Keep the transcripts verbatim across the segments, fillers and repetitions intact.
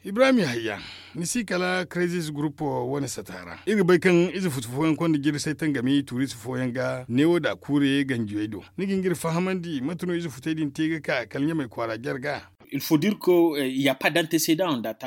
Ibrahim yahaya, ni si kala crisis group wane sata ra. Iri ga bay kaŋ ize futu fooyaŋ konda jirsay tangami tuurisi fooyaŋ ga neewo da kuure ganjiyey do. Ni ga hin ga iri fahamandi mate no ize futey din te ga ka kala ɲamay kwaara jarga?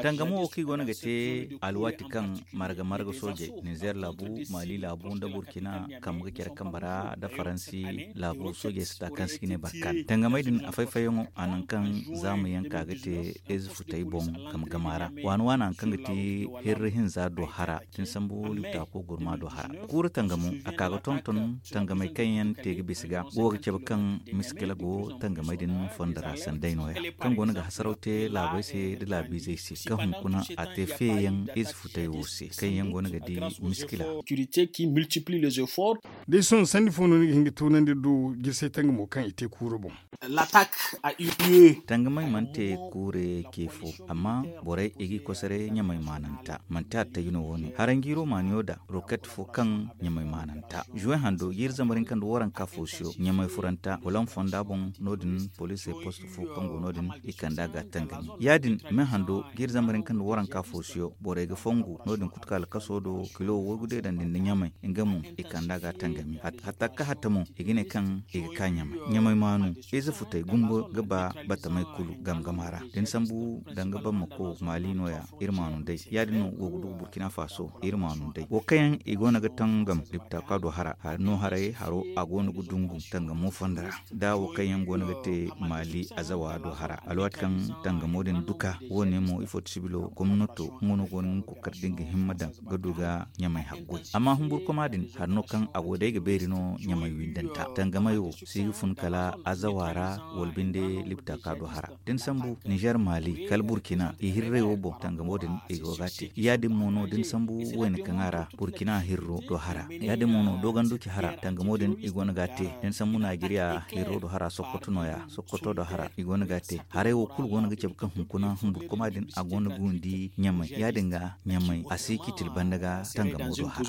Tangamo wo kaŋ i go no ga te alwaati kaŋ marga marga soojey, nizer laabu, maali laabu nda burkina kambe ga care kambe ra nda faransi laabu soojey sata kaŋ se i ga ne barkan tangamey din a fay fayyaŋo a nangu kaŋ zaama yaŋ ka ga te ize futey boŋ game gama ra. Waani waani haŋ kaŋ ga ti hirri hinza do hara da ni sambu libtaako gurma do hara. Kuura tangamo a ka ga tonton tangamey kaŋ yaŋ te ga bisa ga go ga cabe kaŋ miskila go tangamey din fondo ra sanday nooya kaŋ go no ga hasaraw te laabey se nda laabiizey se kaŋ hunkuna a te feeyaŋ ize futey wo se kaŋ yaŋ go no ga di miskila. Da ay sohõ sandi fo no ni ga hin ga toonandi iri do jirsay tangamo kaŋ i te kuura boŋ? Tangamey mana te kuure ce fo, amma borey i g'i kosoray ɲamay maananta manti attayji no wo-ne haranjiiro maaniyo da roket fo kaŋ ɲamay maananta zuwe hando jiiri zambar hinka nda waranka fo siyo ɲamay furanta wala fonda boŋ. No- din poliisey post fo kaŋ go no- din i kand'a ga tangami ya-din me hando jiiri zambar hinka nda waranka fo siyo borey ga fongu no- din kulu kaŋ alkaso do kilo waygu deedandi nda ɲamay nga mo i kand'a ga tangami hatta ga ka hatta mo i ga ne kaŋ i ga ka ɲamay ɲamay maanu ize futey gumbo ga ba batamey kulu game gama ra da ni sambu danga bammako maali nooya iri maanu day ya-din no wo ga du ga burkina faso iri maanu day wo kaŋ yaŋ i go no ga tangam diptaaka do hara hari no haray haro a go no ga dungu tangamo fondo ra da wo kaŋ yaŋ go no ga te maali azawa do hara alwaati kaŋ tangamo din duka wo- ne mo ifo ti sibilo gomnato nga no go no ga nga kookari da nga himma daŋ ga du ga ɲamay haggoy amma humburkoma din hari no kaŋ a go day ga beeri no ɲamay windanta tangamay wo si ga fun kala azawa ra wala binde libtaaka do hara da ni sambu nizer maali kala burkina i hirray wo boŋ tangamo din i go ga a te ya- din mo no da ni sambu wayna kaŋ a ra burkina hirro do hara ya- din mo no doganduci hara tangamo din i go no ga a te da ni sambu najeriya hirro do hara sokoto nooya sokoto do hara i go no ga a te haray wo kulu go no ga cabe kaŋ hunkuna humburkoma din a go no ga windi ɲamay ya- din ga ɲamay a si citil banda ga tangamo do hara.